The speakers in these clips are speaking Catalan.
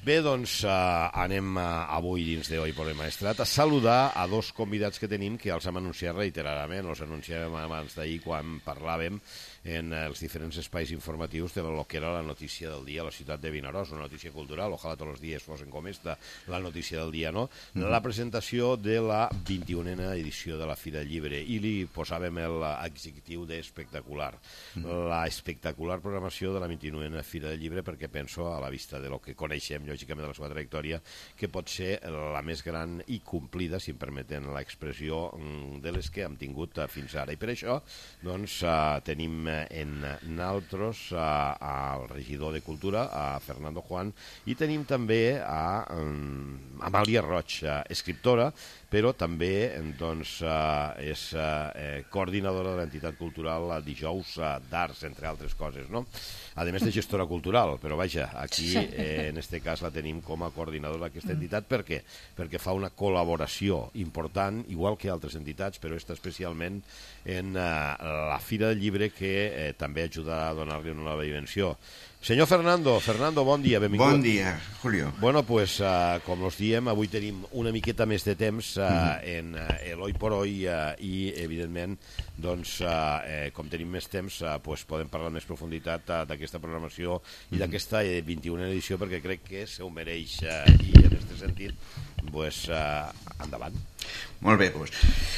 Bé, doncs anem avui dins de Hoy por el Maestrat a saludar a dos convidats que tenim que els hem anunciat reiteradament. Els anunciàvem abans d'ahir quan parlàvem en els diferents espais informatius de lo que era la notícia del dia a la ciutat de Vinaròs, una notícia cultural, ojalà tots els dies fossin com esta, la notícia del dia, no? La presentació de la 21a edició de la Fira del Llibre, i li posàvem l'adjectiu d'espectacular. La espectacular programació de la 21a Fira del Llibre, perquè penso, a la vista de lo que coneixem, lògicament, de la seva trajectòria, que pot ser la més gran i complida, si em permeten l'expressió, de les que hem tingut fins ara. I per això, doncs, tenim en naltros al regidor de Cultura, a Fernando Juan, i tenim també a Amàlia Roig, escriptora, però també doncs, és coordinadora de l'entitat cultural Dijous d'Arts, entre altres coses, no? A més de gestora cultural, però vaja, aquí en este cas la tenim com a coordinadora d'aquesta entitat. Per què? Perquè fa una col·laboració important, igual que altres entitats, però està especialment en la Fira del Llibre, que també ajuda a donar-li una nova dimensió. Senyor Fernando, bon dia, benvingut. Bon dia, Julio. Bueno, pues, com us diem, avui tenim una miqueta més de temps en el Hoy por Hoy i, evidentment, doncs, com tenim més temps, pues, podem parlar amb més profunditat d'aquesta programació i d'aquesta 21a edició, perquè crec que se ho mereix i, en aquest sentit, pues, endavant. Molt bé, doncs.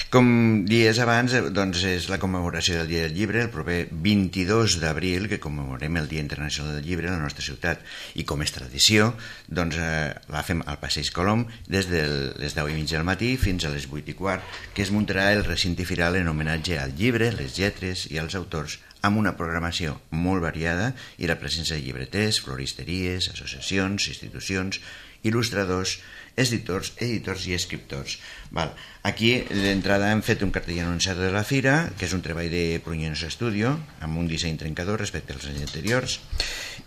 Com dies abans, doncs és la commemoració del Dia del Llibre, el proper 22 d'abril, que commemorem el Dia Internacional del Llibre a la nostra ciutat. I com és tradició, doncs la fem al Passeig Colom des de les 10:30 del matí fins a les 8:15, que es muntarà el recinte firal en homenatge al llibre, les lletres i als autors, amb una programació molt variada i la presència de llibreters, floristeries, associacions, institucions, il·lustradors, editors i escriptors. Aquí d'entrada hem fet un cartell anunciador de la fira, que és un treball de Pruñones Studio, amb un disseny trencador respecte als anys anteriors,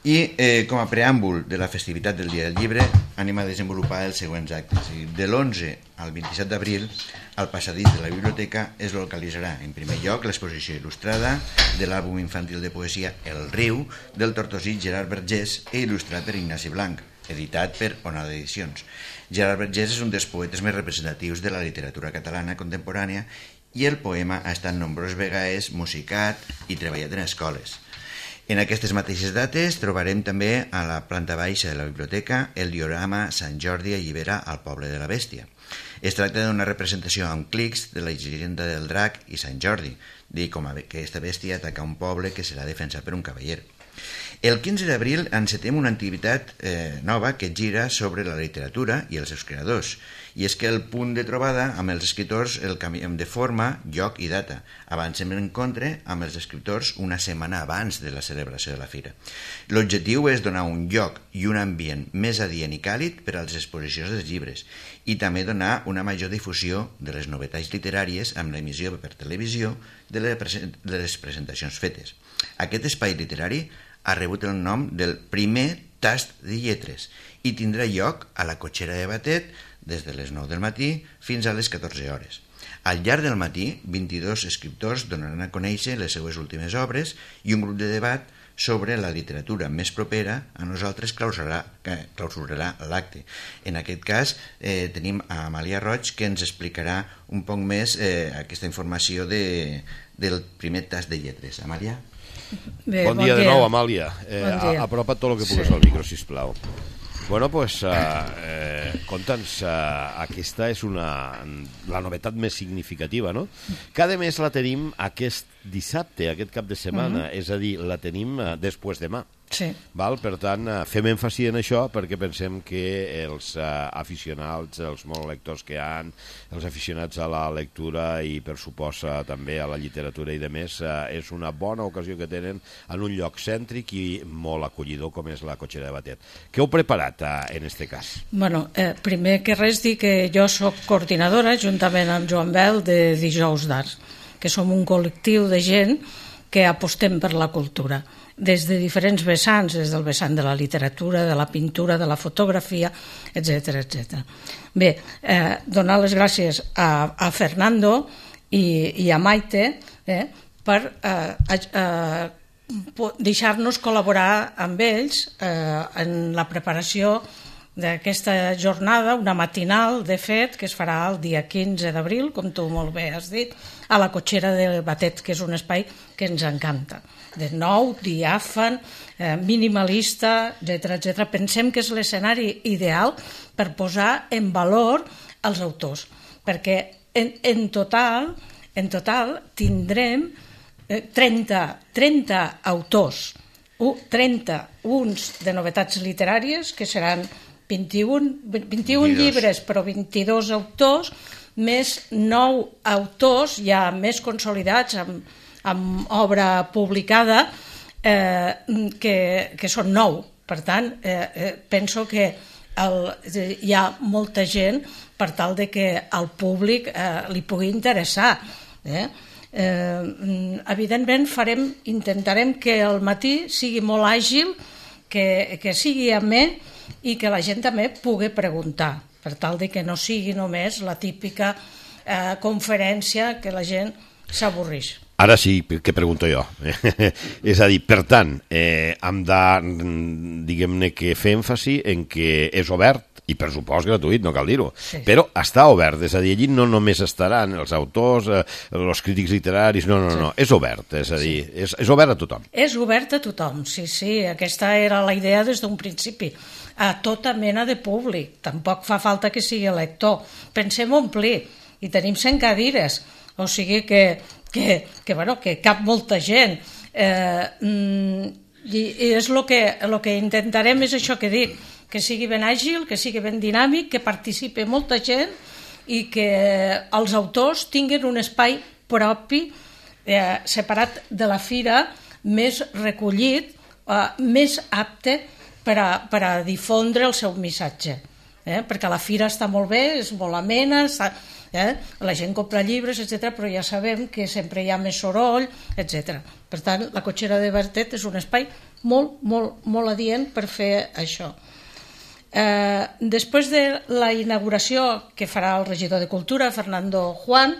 i com a preàmbul de la festivitat del Dia del Llibre anem a desenvolupar els següents actes. De l'11 al 27 d'abril, al passadís de la biblioteca es localitzarà en primer lloc l'exposició il·lustrada de l'àlbum infantil de poesia El riu, del tortosí Gerard Vergés i il·lustrat per Ignasi Blanc, editat per Onada Edicions. Gerard Vergés és un dels poetes més representatius de la literatura catalana contemporània i el poema ha estat nombroses vegades musicat i treballat en escoles. En aquestes mateixes dates trobarem també a la planta baixa de la biblioteca el diorama Sant Jordi allibera al poble de la bèstia. Es tracta d'una representació amb clics de la llegenda del drac i Sant Jordi, de com aquesta bèstia ataca un poble que serà defensat per un cavaller. El 15 d'abril encetem una activitat nova que gira sobre la literatura i els seus creadors, i és que el punt de trobada amb els escriptors el canviem de forma, lloc i data. Avancem l'encontre amb els escriptors una setmana abans de la celebració de la fira. L'objectiu és donar un lloc i un ambient més adient i càlid per a les exposicions dels llibres i també donar una major difusió de les novetats literàries amb l'emissió per televisió de les presentacions fetes. Aquest espai literari ha rebut el nom del primer tast de lletres i tindrà lloc a la cotxera de Batet des de les 9 del matí fins a les 14 hores. Al llarg del matí, 22 escriptors donaran a conèixer les seues últimes obres i un grup de debat sobre la literatura més propera a nosaltres clausurarà l'acte. En aquest cas tenim a Amàlia Roig, que ens explicarà un poc més aquesta informació del primer tast de lletres. Amàlia? Bé, bon dia de nou, Amàlia. Apropa't tot el que pugues al micro, sisplau. Bueno, pues, conta'ns, aquesta és la novetat més significativa, no? Que a més la tenim aquest dissabte, aquest cap de setmana, és a dir, la tenim després demà. Sí. Val? Per tant, fem èmfasi en això perquè pensem que els aficionats, els molt lectors que hi ha, els aficionats a la lectura i per suposa també a la literatura i demés, és una bona ocasió que tenen en un lloc cèntric i molt acollidor com és la cotxera de Batet. Què heu preparat en aquest cas? Bueno, primer que res dir que jo soc coordinadora juntament amb Joan Bel de Dijous d'Arts, que som un col·lectiu de gent que apostem per la cultura des de diferents vessants, des del vessant de la literatura, de la pintura, de la fotografia, etc. Bé, donar les gràcies a Fernando i a Maite per deixar-nos col·laborar amb ells en la preparació d'aquesta jornada, una matinal, de fet, que es farà el dia 15 d'abril, com tu molt bé has dit, a la Cotxera del Batet, que és un espai que ens encanta. De nou, diàfan, minimalista, etc. Pensem que és l'escenari ideal per posar en valor els autors, perquè en total tindrem 30 autors, 31 de novetats literàries, que seran 21 llibres, però 22 autors, més 9 autors ja més consolidats amb obra publicada, que són 9. Per tant, penso que hi ha molta gent per tal de que al públic li pugui interessar. Evidentment intentarem que el matí sigui molt àgil, que sigui amè i que la gent també pugui preguntar, per tal de que no sigui només la típica conferència que la gent s'avorreix. Ara sí que pregunto jo. És a dir, per tant, hem de, diguem-ne, que fer èmfasi en que és obert i per supost gratuït, no cal dir-ho, sí. Però està obert, és a dir, allí no només estaran els autors, els crítics literaris, no, és obert, és a dir, és obert a tothom. És obert a tothom, sí, aquesta era la idea des d'un principi, a tota mena de públic, tampoc fa falta que sigui lector, pensem omplir, i tenim 100 cadires, o sigui que cap molta gent, i és el que intentarem, és això que dic, que sigui ben àgil, que sigui ben dinàmic, que participi molta gent i que els autors tinguin un espai propi, separat de la fira, més recollit, més apte per a difondre el seu missatge. Perquè la fira està molt bé, és molt amena, la gent compra llibres, etc., però ja sabem que sempre hi ha més soroll, etc. Per tant, la Cotxera de Batet és un espai molt, molt, molt adient per fer això. Després de la inauguració que farà el regidor de Cultura, Fernando Juan,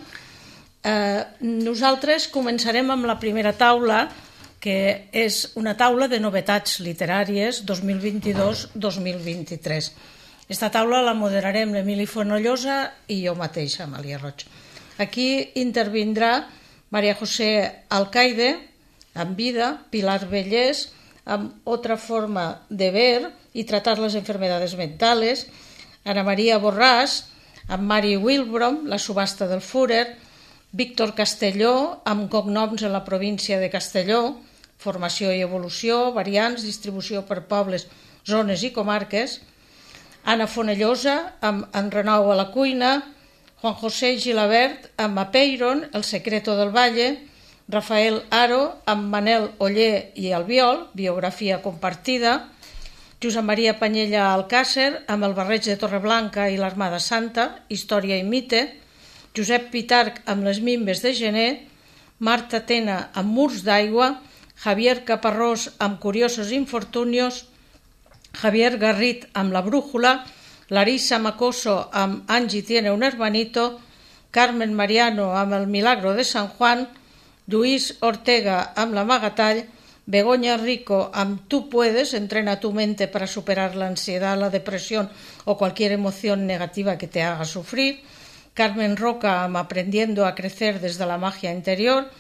nosaltres començarem amb la primera taula, que és una taula de novetats literàries 2022-2023. Aquesta taula la moderarem l'Emili Fonollosa i jo mateixa, Amàlia Roig. Aquí intervindrà María José Alcaide, amb vida, Pilar Bellés, amb Otra forma de ver y tratar las enfermedades mentales, Ana María Borràs, amb Mari Wilbrom, La subhasta del Führer, Víctor Castelló, amb cognoms en la província de Castelló, Formació i evolució, variants, distribució per pobles, zones i comarques, Anna Fonellosa, amb En Renou a la cuina, Juan José Gilabert, amb Apeiron, El secreto del valle, Rafael Haro, amb Manel Oller i Albiol, biografia compartida, Josep Maria Panyella Alcàcer, amb El barreig de Torreblanca i l'Armada Santa, Història i mite, Josep Pitarch, amb Les mimbes de gener, Marta Tena, amb Murs d'aigua, Javier Caparrós, amb Curiosos infortunios, Javier Garrit, amb La brújula, Larissa Macoso, amb Angie tiene un hermanito, Carmen Mariano, amb El milagro de San Juan, Lluís Ortega, amb L'amagatall, Begoña Rico, amb Tú puedes, entrena tu mente para superar la ansiedad, la depresión o cualquier emoción negativa que te haga sufrir, Carmen Roca, amb Aprendiendo a crecer desde la magia interior,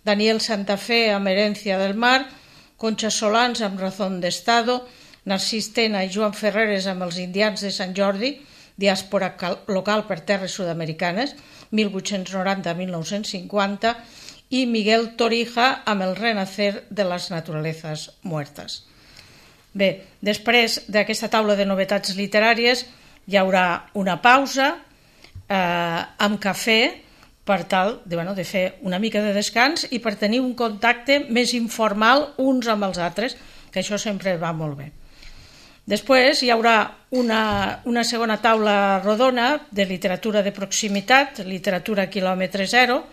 Daniel Santa Fe, amb Herencia del mar, Concha Solans, amb Razón de Estado, Narcís Tena i Joan Ferreres, amb Els indians de Sant Jordi, diàspora local per terres sud-americanes, 1890-1950, i Miguel Torija, amb El renacer de las naturalezas muertas. Bé, després d'aquesta taula de novetats literàries hi haurà una pausa amb cafè per tal de fer una mica de descans i per tenir un contacte més informal uns amb els altres, que això sempre va molt bé. Després hi haurà una segona taula rodona de literatura de proximitat, literatura quilòmetre zero,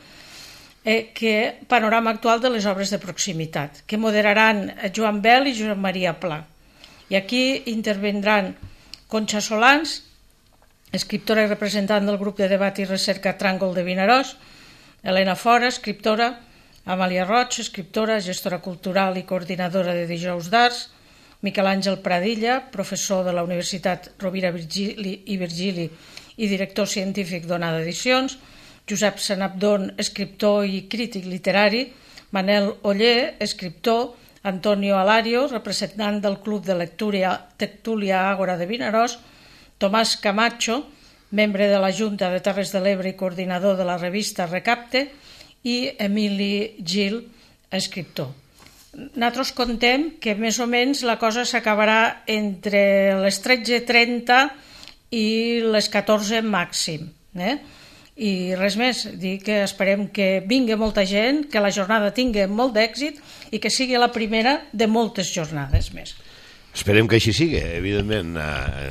que panorama actual de les obres de proximitat, que moderaran Joan Bel i Josep Maria Pla. I aquí intervindran Concha Solans, escriptora i representant del grup de debat i recerca Tràngol de Vinaròs, Helena Fora, escriptora, Amàlia Roig, escriptora, gestora cultural i coordinadora de Dijous d'Arts, Miquel Àngel Pradilla, professor de la Universitat Rovira i Virgili i director científic d'Onada Edicions, Josep Sanabdon, escriptor i crític literari, Manel Oller, escriptor, Antonio Alario, representant del Club de Lectura Tertúlia Àgora de Vinaròs, Tomàs Camacho, membre de la Junta de Terres de l'Ebre i coordinador de la revista Recapte, i Emili Gil, escriptor. Nosaltres contem que més o menys la cosa s'acabarà entre les 13:30 i les 14 màxim. I res més, dir que esperem que vingui molta gent, que la jornada tingui molt d'èxit i que sigui la primera de moltes jornades més. Esperem que així sigui, evidentment,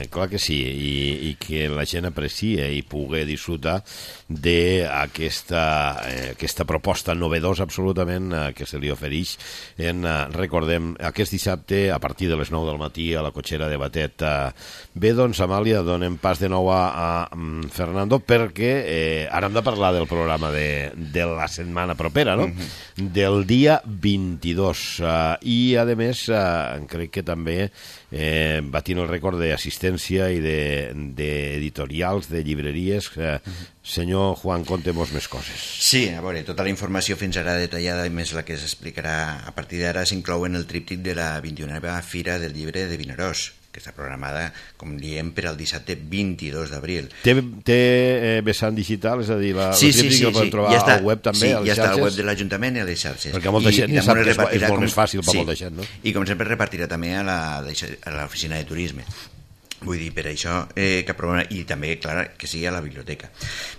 clar que sí, i que la gent apreciï i pugui disfrutar d'aquesta proposta novedosa absolutament que se li ofereix recordem, aquest dissabte a partir de les 9 del matí a la cotxera de Batet. Bé, doncs, Amàlia, donem pas de nou a Fernando perquè ara hem de parlar del programa de la setmana propera, no? Del dia 22 i a més crec que també batint el rècord d'assistència i d'editorials, de llibreries. Senyor Juan, contem-nos més coses. Sí, a veure, tota la informació fins ara detallada i més la que s'explicarà a partir d'ara s'inclou en el tríptic de la 21a Fira del Llibre de Vinaròs, que està programada, com diem, per al dissabte 22 d'abril. Té vessant digital? És a dir, el tríptic el podem trobar al web també, a les xarxes? Sí, ja està al web de l'Ajuntament i a les xarxes. Perquè molta gent ja sap que és molt més fàcil per molta gent, no? I com sempre repartirà també a l'oficina de turisme. Vull dir, per això que aprovem, i també, clar, que sigui a la biblioteca.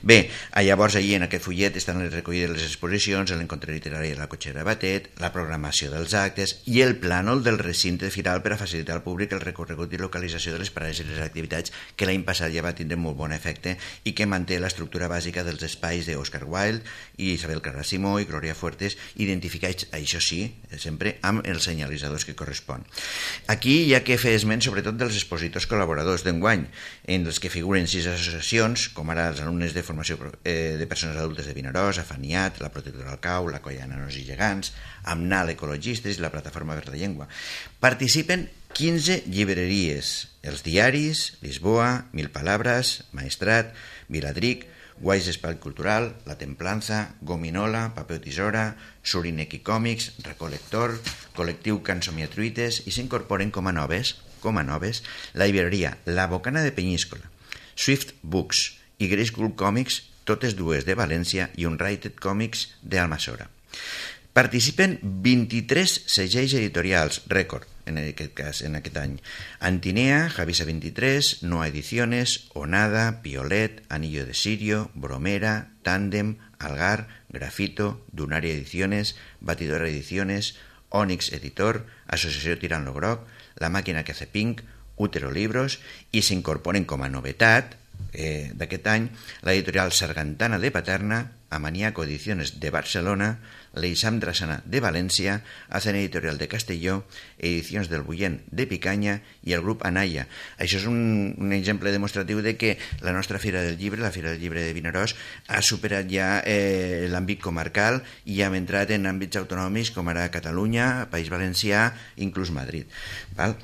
Bé, llavors ahir en aquest fullet estan recollides les exposicions, l'encontre literari de la cotxera de Batet, la programació dels actes i el plànol del recinte firal per a facilitar al públic el recorregut i localització de les parades i les activitats que l'any passat ja va tindre molt bon efecte i que manté l'estructura bàsica dels espais d'Oscar Wilde i Isabel Clara Simó i Glòria Fuertes, identificats, això sí, sempre amb els senyalitzadors que correspon. Aquí hi ha que fer esment sobretot dels expositors col·laboradors d'enguany, en els que figuren 6 associacions, com ara els alumnes de formació de persones adultes de Vinaròs, Afaniat, la Protectora del Cau, la Colla Nanos i Gegants, Amnal Ecologistes i la Plataforma per la Llengua. Participen 15 llibreries, els diaris, Lisboa, Mil Palabras, Maestrat, Viladric, Guais Espai Cultural, La Templanza, Gominola, Paper Tisora, Surineki Còmics, Recolector, Col·lectiu Cansomiatruites i s'incorporen com a noves la llibreria La Bocana de Penyíscola, Swift Books i Grace Group Comics, totes dues de València, i Unrated Comics d'Almassora. Participen 23 segells editorials, rècord, en aquest any. Antinea, Javisa 23, Noa Ediciones, Onada, Piolet, Anillo de Sirio, Bromera, Tàndem, Algar, Grafito, Dunaria Ediciones, Batidora Ediciones, Onyx Editor, Associació Tirant lo Groc, La Màquina que hace Pink, Útero Libros, i s'incorporen com a novetat d'aquest any l'editorial Sargantana de Paterna, Amaniaco Ediciones de Barcelona, l'Eixam Drassana de València, Hacen Editorial de Castelló, Edicions del Bullent de Picanya i el grup Anaya. Això és un exemple demostratiu de que la nostra Fira del Llibre, la Fira del Llibre de Vinaròs, ha superat ja l'àmbit comarcal i hem entrat en àmbits autonòmics com ara Catalunya, País Valencià, inclús Madrid. Val?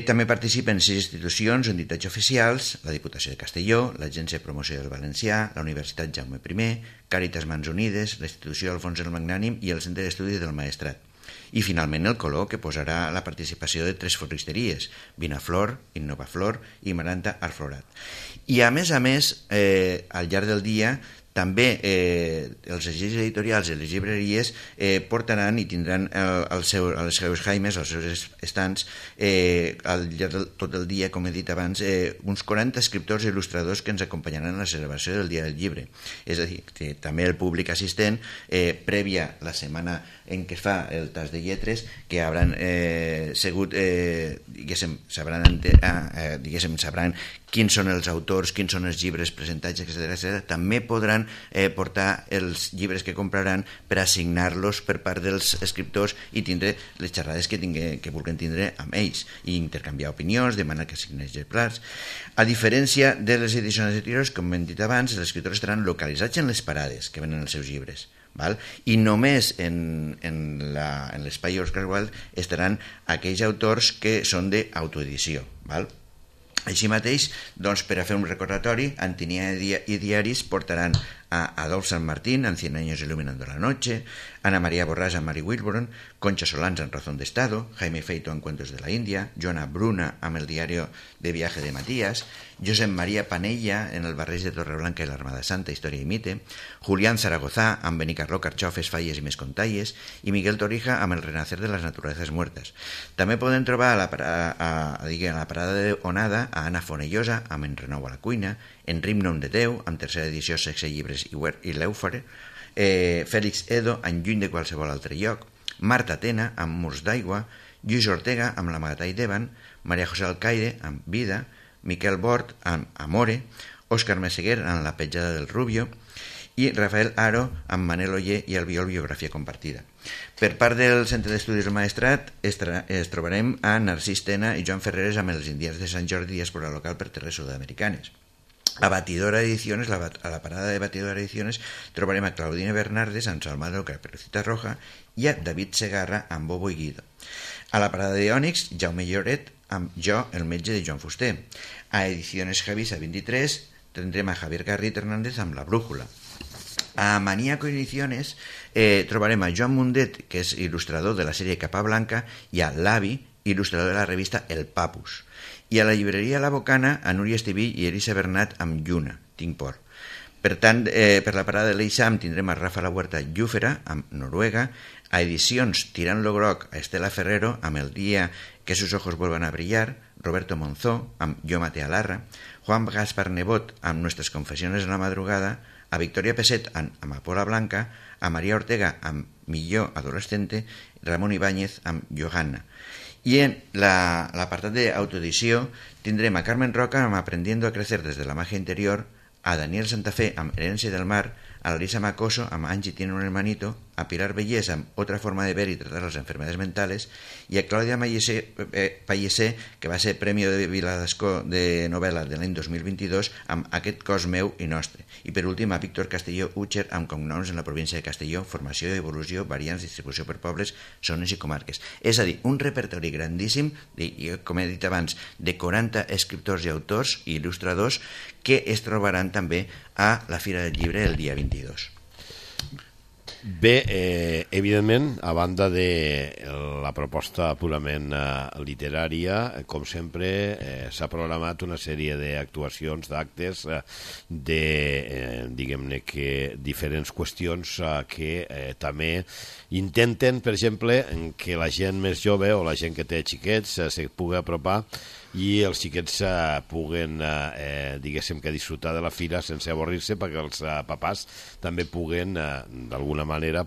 També participen 6 institucions o entitats oficials, la Diputació de Castelló, l'Agència de Promoció del Valencià, la Universitat Jaume I, Càritas Mans Unides, la Institució Alfons el Magnànim i el Centre d'Estudis del Maestrat. I finalment el Color, que posarà la participació de 3 floristeries, Vinaflor, Innovaflor i Maranta Arflorat. I a més, al llarg del dia, també els agents editorials i les llibreries portaran i tindran els seus jaimes, els seus estants, al llarg de tot el dia, com he dit abans, uns 40 escriptors i il·lustradors que ens acompanyaran en la celebració del Dia del Llibre. És a dir, que també el públic assistent, prèvia la setmana en què es fa el tas de lletres, que hauran segut, sabran quins són els autors, quins són els llibres presentats, etc. També podran podran portar els llibres que compraran per assignar-los per part dels escriptors i tindre les xerrades que vulguin tindre amb ells i intercanviar opinions, demanar que assignin exemplars. A diferència de les edicions anteriors, com hem dit abans, els escriptors estaran localitzats en les parades que venen els seus llibres. Val? I només en l'espai Oscar Wilde estaran aquells autors que són d'autoedició. Així mateix, doncs, per a fer un recordatori, Antinia i Diaris portaran a Adolf San Martín en 100 años iluminando la noche, Ana María Borràs en Mary Wilburn, Concha Solans en Razón de Estado, Jaime Feito en Cuentos de la India, Joana Bruna amb el diario de viaje de Matías, Josep María Panella en El barreig de Torreblanca i l'Armada Santa, Història i mite, Julián Zaragoza amb Benicarló, Carxofes, Falles i més contalles, i Miguel Torija amb El renacer de las naturalezas muertas. També podem trobar a la parada de Onada a Anna Fonellosa amb En renou a la cuina, En Rimnom de Déu amb tercera edició, Sexe, llibres i l'Eufare, Fèlix Edo en Lluny de qualsevol altre lloc, Marta Tena amb Murs d'aigua, Lluís Ortega amb L'Amagatall d'Evan, Maria José Alcaide amb Vida, Miquel Bort amb Amore, Òscar Meseguer amb La petjada del Rubio i Rafael Haro amb Manel Oller i Albiol, biografia compartida. Per part del Centre d'Estudis del Maestrat es trobarem a Narcís Tena i Joan Ferreres amb Els indians de Sant Jordi, diàspora local per terres sud-americanes. A Batidora Ediciones, a la parada de Batidora Ediciones, trobarem a Claudine Bernardes amb Salvador Caperucita Roja i a David Segarra amb Bobo i Guido. A la parada de Ònix, Jaume Lloret amb Jo, el metge de Joan Fuster. A Ediciones Javisa 23 tindrem a Javier Garrit Hernández amb La brújula. A Maníaco Ediciones trobarem a Joan Mundet, que és il·lustrador de la sèrie Capa Blanca, i a l'Avi, il·lustrador de la revista El Papus. I a la llibreria La Bocana, a Núria Estiví i Elisa Bernat amb Lluna, Tinc por. Per tant, per la parada de l'Eixam tindrem a Rafa La Huerta Llúfera amb Noruega, a Edicions Tirant lo Groc a Estela Ferrero amb El día que sus ojos vuelvan a brillar, Roberto Monzó amb Jo maté a Larra, Juan Gaspar Nebot amb Nuestras confesiones en la madrugada, a Victoria Peset amb Amapola Blanca, a María Ortega amb Millor adolescente, Ramon Ibáñez amb Johanna. I en l'apartat d'autoedició tindrem a Carmen Roca amb Aprendiendo a crecer desde la magia interior, a Daniel Santafé amb Herencia del mar, a Larisa Macoso amb Angie tiene un hermanito, a Pilar Bellés amb Otra forma de ver y tratar las enfermedades mentales, i a Clàudia Pallesé, que va ser Premi de Viladascó de novel·la de l'any 2022 amb Aquest cos meu i nostre. I per últim a Víctor Castelló Utxer amb Cognoms en la província de Castelló, formació i evolució, variants, distribució per pobles, zones i comarques. És a dir, un repertori grandíssim, com he dit abans, de 40 escriptors i autors i il·lustradors que es trobaran també a la Fira del Llibre el dia 22. Bé, evidentment, a banda de la proposta purament literària, com sempre, s'ha programat una sèrie d'actuacions, d'actes, diguem-ne que diferents qüestions que també intenten, per exemple, que la gent més jove o la gent que té xiquets se pugui apropar i els xiquets puguen, diguéssim, que disfrutar de la fira sense avorrir-se, perquè els papàs també puguen, d'alguna manera,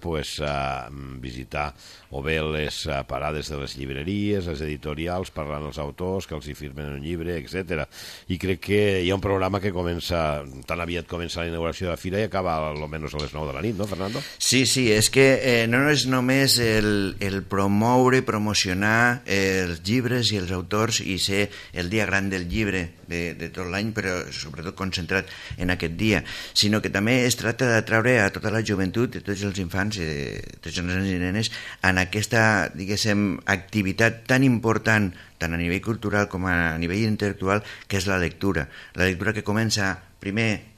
visitar o bé les parades de les llibreries, les editorials, parlant als autors, que els hi firmen un llibre, etc. I crec que hi ha un programa que comença, tan aviat comença la inauguració de la fira i acaba almenys a les 9 de la nit, no, Fernando? Sí, és que no és només el promoure, promocionar els llibres i els autors i ser el dia gran del llibre de tot l'any, però sobretot concentrat en aquest dia, sinó que també es tracta d'atraure a tota la joventut, a tots els infants, a tots els nens i nenes, en aquesta, diguéssim, activitat tan important, tant a nivell cultural com a nivell intel·lectual, que és la lectura. La lectura que comença primer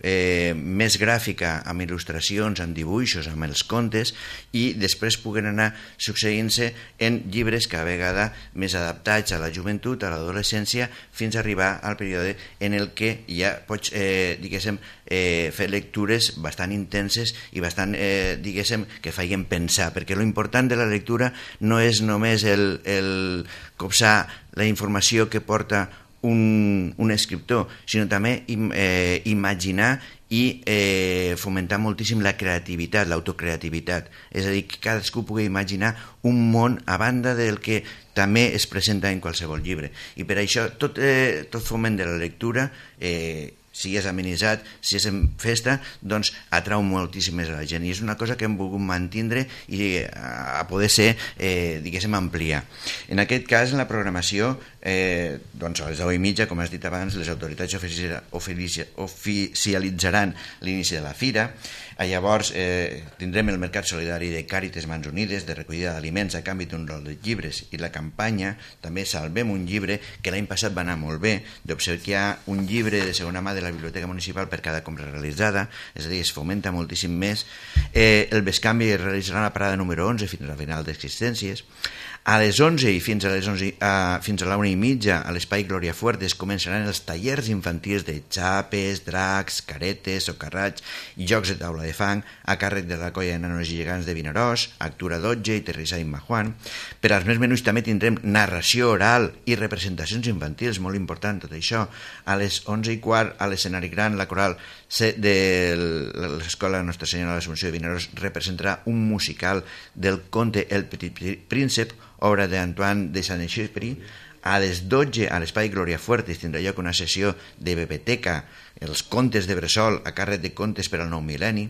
més gràfica, amb il·lustracions, amb dibuixos, amb els contes, i després puguen anar succeint-se en llibres cada vegada més adaptats a la joventut, a l'adolescència, fins a arribar al període en el que ja pots, diguéssim, fer lectures bastant intenses i bastant, diguéssim, que feien pensar, perquè l'important de la lectura no és només el copsar la informació que porta un escriptor, sinó també imaginar i fomentar moltíssim la creativitat, l'autocreativitat. És a dir, que cadascú pugui imaginar un món a banda del que també es presenta en qualsevol llibre. I per això tot foment de la lectura si és amenitzat, si és en festa, doncs atrau moltíssim més a la gent, i és una cosa que hem volgut mantindre i a poder ser, diguéssim, ampliar. En aquest cas, en la programació, doncs a les 10:30, com has dit abans, les autoritats oficialitzaran l'inici de la fira. Llavors tindrem el Mercat Solidari de Càritas Mans Unides de recollida d'aliments a canvi d'un rol de llibres, i la campanya també Salvem un llibre, que l'any passat va anar molt bé, d'obsequiar un llibre de segona mà de la Biblioteca Municipal per cada compra realitzada, és a dir, es fomenta moltíssim més. El bescanvi es realitzarà a la parada número 11 fins a la final d'existències. A les 11 i fins a la 1:30 a l'espai Glòria Fuertes començaran els tallers infantils de xapes, dracs, caretes, socarrats i jocs de taula de fang a càrrec de la colla de nanos i gegants de Vinaròs, Actura Dotge i Terrissà i Majuan. Per als més menuts també tindrem narració oral i representacions infantils, molt important tot això. A les 11:15 a l'escenari gran la coral de l'Escola Nostra Senyora de l'Assumpció de Vinaròs representarà un musical del conte El Petit Príncep, obra d'Antoine de Saint-Exupéry. A les 12 a l'espai Glòria Fuertes tindrà lloc una sessió de biblioteca, els contes de bressol a càrrec de Contes per al Nou Mil·lenni,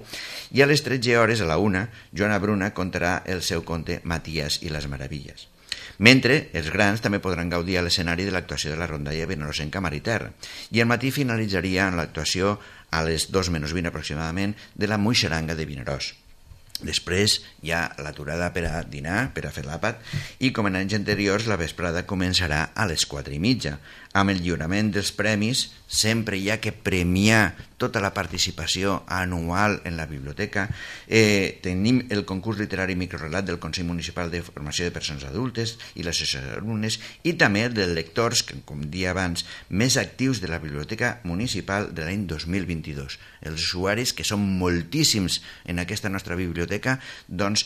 i a les 13 hores a la 1 Joana Bruna contarà el seu conte Matías i les Meravilles. Mentre els grans també podran gaudir a l'escenari de l'actuació de la rondalla Vinaròs en Camar i Terra, i al matí finalitzaria amb l'actuació a les 2:20 aproximadament de la Moixaranga de Vinaròs. Després hi ha l'aturada per a dinar, per a fer l'àpat, i com en anys anteriors la vesprada començarà a les 4:30. Amb el lliurament dels premis sempre hi ha que premiar tota la participació anual en la biblioteca. Tenim el concurs literari microrelat del Consell Municipal de Formació de Persones Adultes i l'associació d'alumnes, i també el dels lectors, que, com dia abans, més actius de la Biblioteca Municipal de l'any 2022. Els usuaris, que són moltíssims en aquesta nostra biblioteca, doncs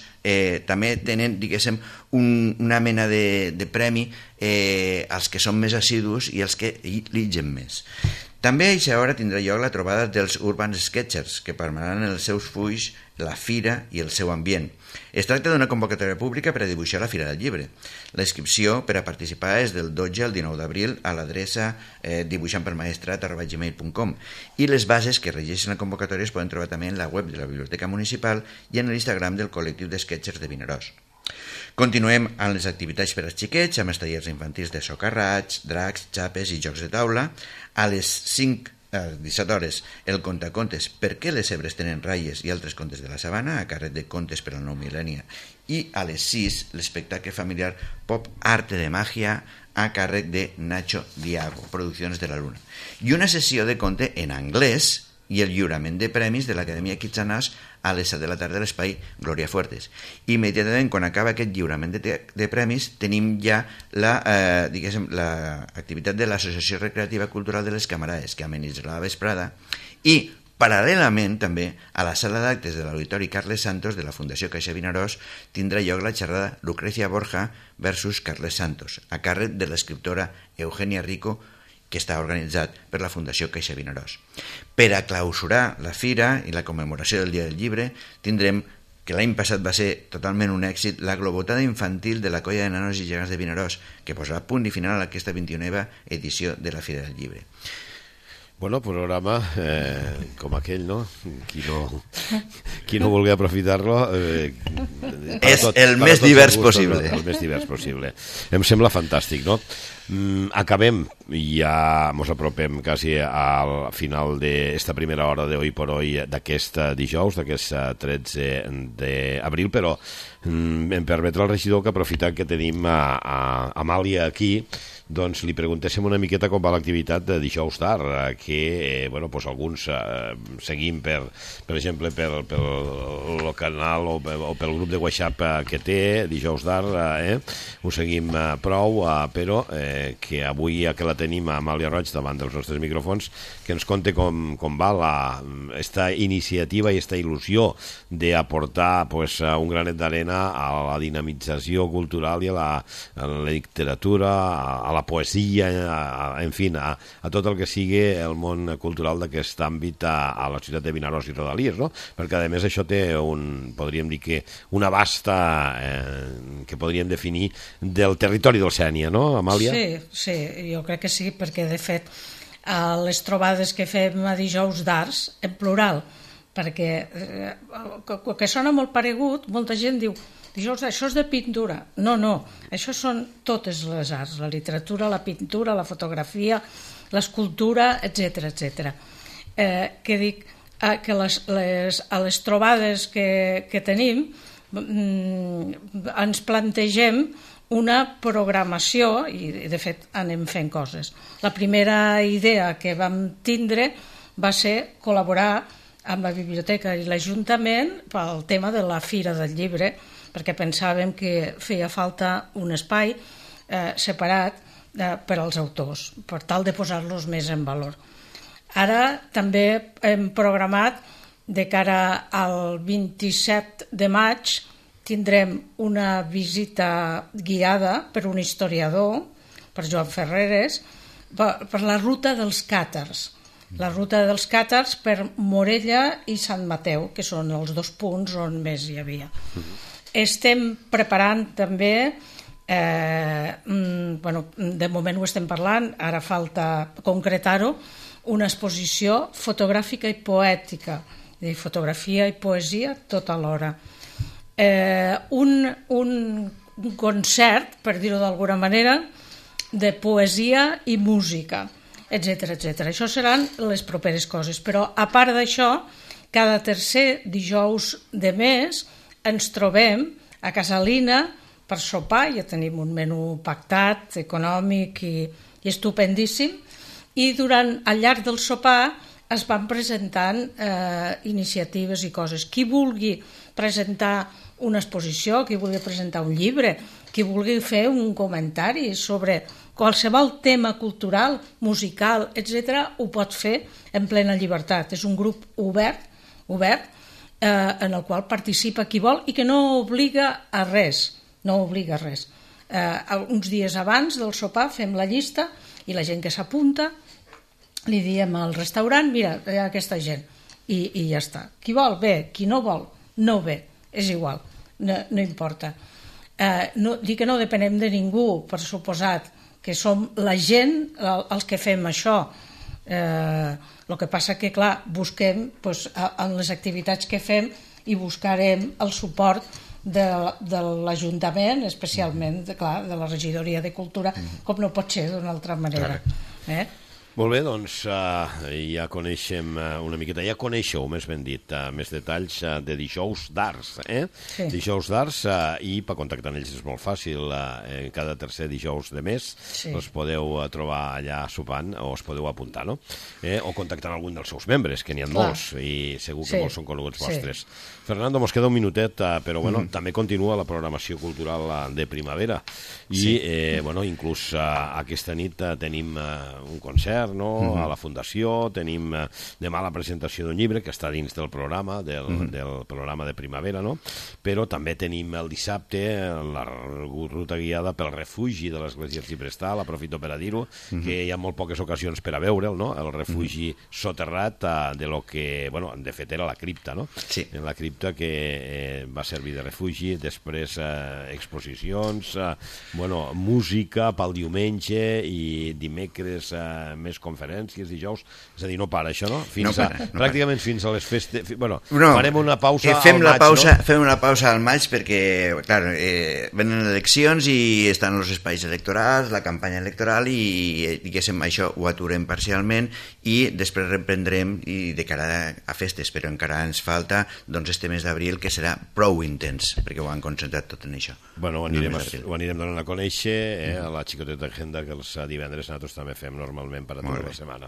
també tenen, diguéssim, una mena de premi als que són més assidus i els que llegeixen més. També a aquesta hora tindrà lloc la trobada dels Urban Sketchers, que permetran els seus fulls, la fira i el seu ambient. Es tracta d'una convocatòria pública per a dibuixar la Fira del Llibre. La inscripció per a participar és del 12 al 19 d'abril a l'adreça dibuixantpermaestrat@gmail.com, i les bases que regeixen la convocatòria es poden trobar també en la web de la Biblioteca Municipal i en l'Instagram del col·lectiu d'Sketchers de Vinaròs. Continuem amb les activitats per als xiquets, amb els tallers infantils de socarrats, dracs, xapes i jocs de taula. A les 17 hores, el contacontes Per què les zebres tenen ratlles i altres contes de la sabana, a càrrec de Contes per al Nou Mil·lenni. I a les 6, l'espectacle familiar Pop Arte de Màgia, a càrrec de Nacho Diago, Produccions de la Luna. I una sessió de conte en anglès i el lliurament de premis de l'Acadèmia Kitsanàs a les 7 de la tarda a l'espai Glòria Fuertes. Immediatament, quan acaba aquest lliurament de premis, tenim ja l'activitat de l'Associació Recreativa Cultural de les Camarades, que amenitzarà la vesprada, i paral·lelament també a la sala d'actes de l'Auditori Carles Santos de la Fundació Caixa Vinaròs tindrà lloc la xerrada Lucrecia Borja versus Carles Santos, a càrrec de l'escriptora Eugenia Rico, que està organitzat per la Fundació Caixa Vinaròs. Per a clausurar la fira i la commemoració del Dia del Llibre, tindrem, que l'any passat va ser totalment un èxit, la globotada infantil de la colla de nanos i gegants de Vinaròs, que posarà punt i final a aquesta 29a edició de la Fira del Llibre. Bueno, programa com aquell, no? Qui no vulgui aprofitar-lo... És el més divers possible. El més divers possible. Em sembla fantàstic, no? Acabem, ja ens apropem quasi al final d'esta primera hora de Hoy por Hoy d'aquest dijous, d'aquest 13 d'abril, però em permetrà el regidor que aprofitant que tenim a Amàlia aquí, doncs li preguntéssim una miqueta com va l'activitat de Dijous D'Art, que alguns seguim, per exemple, pel canal o pel grup de WhatsApp que té, Dijous D'Art, ho seguim prou, però que avui que la tenim a Amàlia Roig davant dels nostres micròfons, que ens conte com va esta iniciativa i esta il·lusió d'aportar un granet d'arena a la dinamització cultural i a la literatura, a la poesia, en fi, a tot el que sigui el món cultural d'aquest àmbit a la ciutat de Vinaròs i rodalies, no? Perquè a més això té podríem dir que una vasta que podríem definir del territori del Sénia, no, Amàlia? Sí, jo crec que sí, perquè de fet a les trobades que fem a Dijous d'Arts, en plural, perquè que sona molt paregut, molta gent diu Dijous, això és de pintura. No, això són totes les arts, la literatura, la pintura, la fotografia, l'escultura, etc. Que dic que a les trobades que tenim ens plantegem una programació i de fet anem fent coses. La primera idea que vam tindre va ser col·laborar amb la biblioteca i l'Ajuntament pel tema de la Fira del Llibre, perquè pensàvem que feia falta un espai separat per als autors, per tal de posar-los més en valor. Ara també hem programat, de cara al 27 de maig, tindrem una visita guiada per un historiador, per Joan Ferreres, per la ruta dels càtars. La ruta dels càtars per Morella i Sant Mateu, que són els 2 punts on més hi havia. Estem preparant també, de moment ho estem parlant, ara falta concretar-ho, una exposició fotogràfica i poètica, de fotografia i poesia tot alhora. Un concert, per dir-ho d'alguna manera, de poesia i música, etc. Això seran les properes coses, però a part d'això, cada tercer dijous de mes ens trobem a Casalina per sopar, ja tenim un menú pactat, econòmic i estupendíssim, i al llarg del sopar es van presentant iniciatives i coses. Qui vulgui presentar una exposició, qui vulgui presentar un llibre, qui vulgui fer un comentari sobre qualsevol tema cultural, musical, etc., ho pot fer en plena llibertat. És un grup obert, en el qual participa qui vol i que no obliga a res. Uns dies abans del sopar fem la llista i la gent que s'apunta li diem al restaurant, mira, hi ha aquesta gent, i ja està. Qui vol, bé, qui no vol, no ve, és igual, no importa. Dir que no depenem de ningú, per suposat, que som la gent els que fem això. El que passa que, clar, busquem en les activitats que fem i buscarem el suport de l'Ajuntament, especialment, clar, de la Regidoria de Cultura, com no pot ser d'una altra manera. Molt bé, doncs ja coneixem una miqueta, ja coneixeu, més ben dit, més detalls de Dijous d'Arts, Sí. Dijous d'Arts, i per contactar amb ells és molt fàcil, cada tercer dijous de mes els podeu trobar allà sopant o us podeu apuntar, no? O contactar amb algun dels seus membres, que n'hi ha molts, i segur que molts són coneguts vostres. Fernando, mos queda un minutet, però bueno, també continua la programació cultural de primavera, i inclús aquesta nit tenim un concert, a la Fundació, tenim demà la presentació d'un llibre que està dins del programa, del programa de primavera, no? Però també tenim el dissabte la ruta guiada pel refugi de l'Església Arxiprestal, aprofito per a dir-ho, que hi ha molt poques ocasions per a veure'l, no? El refugi soterrat de lo que, bueno, de fet era la cripta, no? Sí. En la cripta que va servir de refugi, després exposicions, música pel diumenge i dimecres més conferències, dijous, és a dir, no para això, no? Pràcticament fins a les festes. Bueno, farem una pausa al maig, no? Fem una pausa al maig perquè, clar, venen eleccions i estan els espais electorals, la campanya electoral i, diguéssim, això ho aturem parcialment i després reprendrem i de cara a festes, però encara ens falta este mes d'abril que serà prou intens perquè ho han concentrat tot en això. Bueno, ho anirem donant a conèixer a la xicoteta agenda que els divendres nosaltres també fem normalment per a tota la setmana.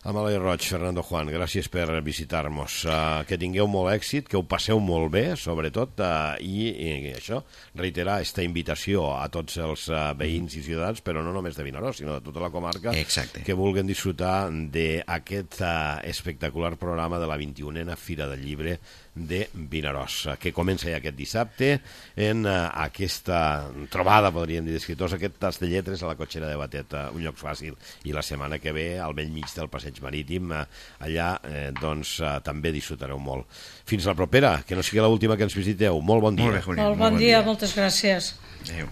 Amalai Roig, Fernando Juan, gràcies per visitar-nos. Que tingueu molt èxit, que ho passeu molt bé, sobretot, i això, reiterar aquesta invitació a tots els veïns i ciutadans, però no només de Vinaròs, sinó de tota la comarca, que vulguin disfrutar d'aquest espectacular programa de la 21a Fira del Llibre de Vinaròs, que comença ja aquest dissabte en aquesta trobada, podríem dir, d'escriptors, aquest tas de lletres a la cotxera de Batet, un lloc fàcil, i la setmana que ve al bell mig del passeig marítim, allà doncs també disfrutareu molt. Fins la propera, que no sigui l'última que ens visiteu. Molt bon dia. Molt bon dia, moltes gràcies. Adéu.